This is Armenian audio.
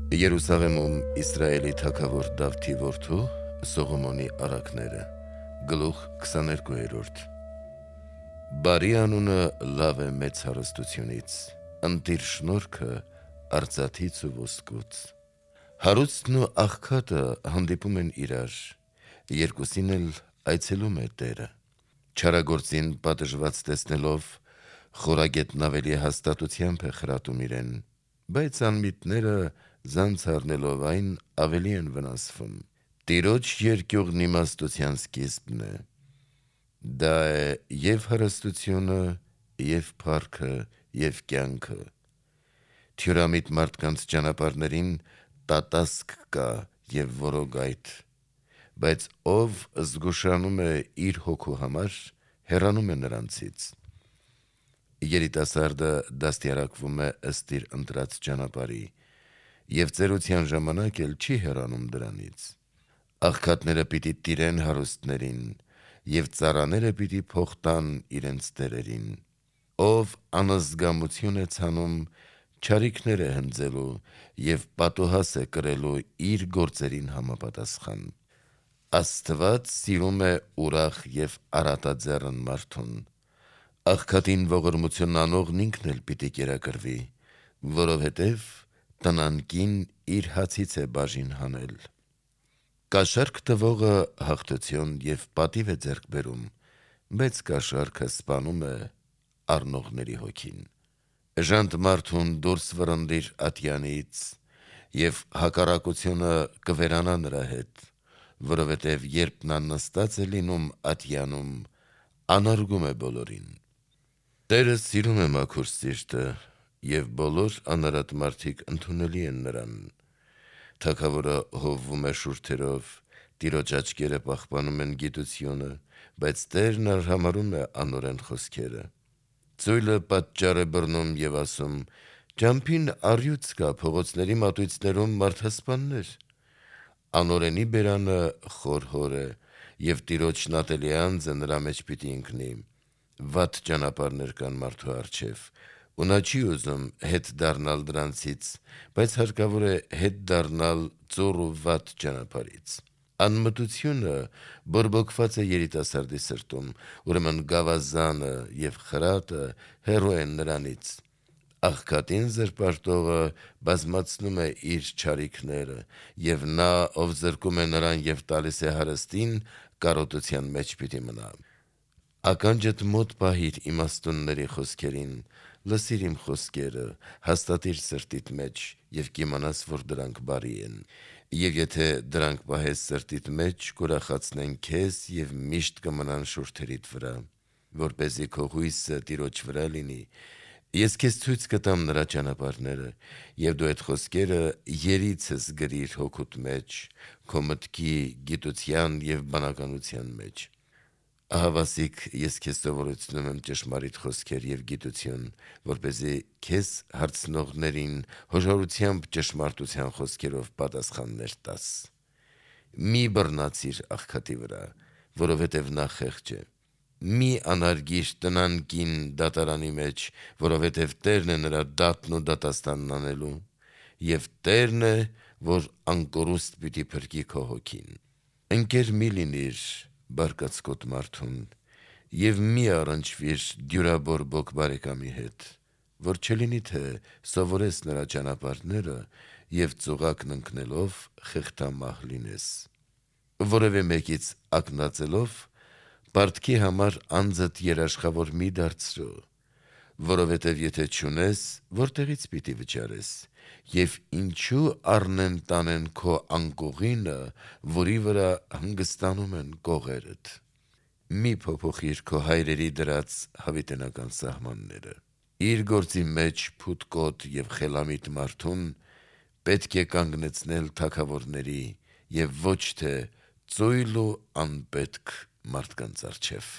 Երուսաղեմում Իսրայելի թագավոր Դավթի որդու Սողոմոնի առակները գլուխ 22-րդ Բարի անունը լավ է մեծ հարստությունից, ընտիր շնորհքը արծաթից ու ոսկուց։ Հարուստն ու աղքատը հանդիպում են իրար, երկուսին էլ այցելում է Տերը։ Չարագործին պատժված տեսնելով, խորագետն ավելի հաստատությամբ է խրատում իրեն, բայց անմիտները զանց առնելով այն ավելի են վնասվում։ Տիրոջ երկյուղն իմաստության սկիզբն է։ Դա է և հարստությունը, և փառքը, և կյանքը։ Թյուրամիտ մարդկանց ճանապարհներին տատասկ կա և որոգայթ, բայց ով զգուշանում է իր հոգու համար, հեռանում է նրանցից։ Երիտասարդը դաստիարակվում է ըստ իր ընտրած ճանապարհի, և ծերության ժամանակ էլ չի հեռանում դրանից։ Աղքատները պիտի տիրեն հարուստներին, և ծառաները պիտի փող տան իրենց տերերին։ Ով անզգամություն է ցանում, չարիքներ է հնձելու և պատուհաս է կրելու իր գործերին համապատասխան։ Աստված սիրում է ուրախ և առատաձեռն մարդուն։ Աղքատին ողորմություն անողն ինքն էլ պիտի կերակրվի, որովհետև տնանկին իր հացից է բաժին հանել։ Կաշառք տվողը հաղթություն և պատիվ է ձեռք բերում, բայց կաշառքը սպանում է առնողների հոգին։ Ժանտ մարդուն դուրս վռնդիր ատյանից, և հակառակությունը կվերանա նրա հետ, որովհետև երբ նա նստած է լինում ատյանում, անարգում է բոլորին։ Տերը սիրում է մաքուր սիրտը, և բոլոր անարատ մարդիկ ընդունելի են նրան։ Թագավորը հովվում է շուրթերով, Տիրոջ աչքերը պահպանում են գիտությունը, բայց Տերն արհամարհում է անօրեն խոսքերը։ Ծույլը պատճառ է բռնում և ասում. «Ճամփին առյուծ կա, փողոցների մատույցներում մարդասպաններ»։ Անօրենի բերանը խորհոր է, և Տիրոջն ատելի անձը նրա մեջ պիտի ընկնի։ Վատ ճանապարհներ կան մարդու առջև, ու նա չի ուզում հետ դառնալ դրանցից, բայց հարկավոր է հետ դառնալ ծուռ ու վատ ճանապարհից։ Անմտությունը բորբոքված է երիտասարդի սրտում, ուրեմն գավազանը և խրատը հեռու են նրանից։ Աղքատին զրպարտողը բազմացնում է իր չարիքները, և նա, ով զրկում է նրան և տալիս է հարստին, կարոտության մեջ պիտի մնա։ Ականջդ մոտ պահիր իմաստունների խոսքերին, լսիր իմ խոսքերը, հաստատիր սրտիդ մեջ և կիմանաս, որ դրանք բարի են։ Եվ եթե դրանք պահես սրտիդ մեջ, կուրախացնեն քեզ և միշտ կմնան շուրթերիդ վրա, որպեսզի քո հույսը Տիրոջ վրա լինի։ Ես քեզ ցույց կտամ նրա ճանապարհները, և դու այդ խոսքերը երիցս գրիր հոգուդ մեջ, քո մտքի, գիտության և բանականության մեջ։ Ահավասիկ ես քեզ սովորեցնում եմ ճշմարիտ խոսքեր և գիտություն, որպեսզի քեզ հարցնողներին հոժարությամբ ճշմարտության խոսքերով պատասխաններ տաս։ Մի բռնացիր աղքատի վրա, որովհետև նա խեղճ է։ Մի անհարգիր տնանկին դատարանի մեջ, որովհետև Տերն է նրա դատն ու դատաստանն անելու, և Տերն է, որ անկորուստ պիտի փրկի քո հոգին։ Ընկեր մի լինիր բարկացկոտ մարդուն, և մի առնչվիր դյուրաբորբոք բարեկամի հետ, որ չլինի, թե սովորես նրա ճանապարհները և ծուղակն ընկնելով խեղդամահ լինես։ Որևէ մեկից ակնածելով, պարտքի համար անձդ երաշխավոր մի դարձրու, որովհետև եթե չունես, որտեղից պիտի վճարես, և ինչու առնեն տանեն քո անկողինը, որի վրա հանգստանում են կողերդ։ Մի փոփոխիր քո հայրերի դրած հավիտենական սահմանները։ Իր գործի մեջ փութկոտ և խելամիտ մարդուն պետք է կանգնեցնել թագավորների և ոչ թե ծույլ ու անպետք մարդկանց առջև։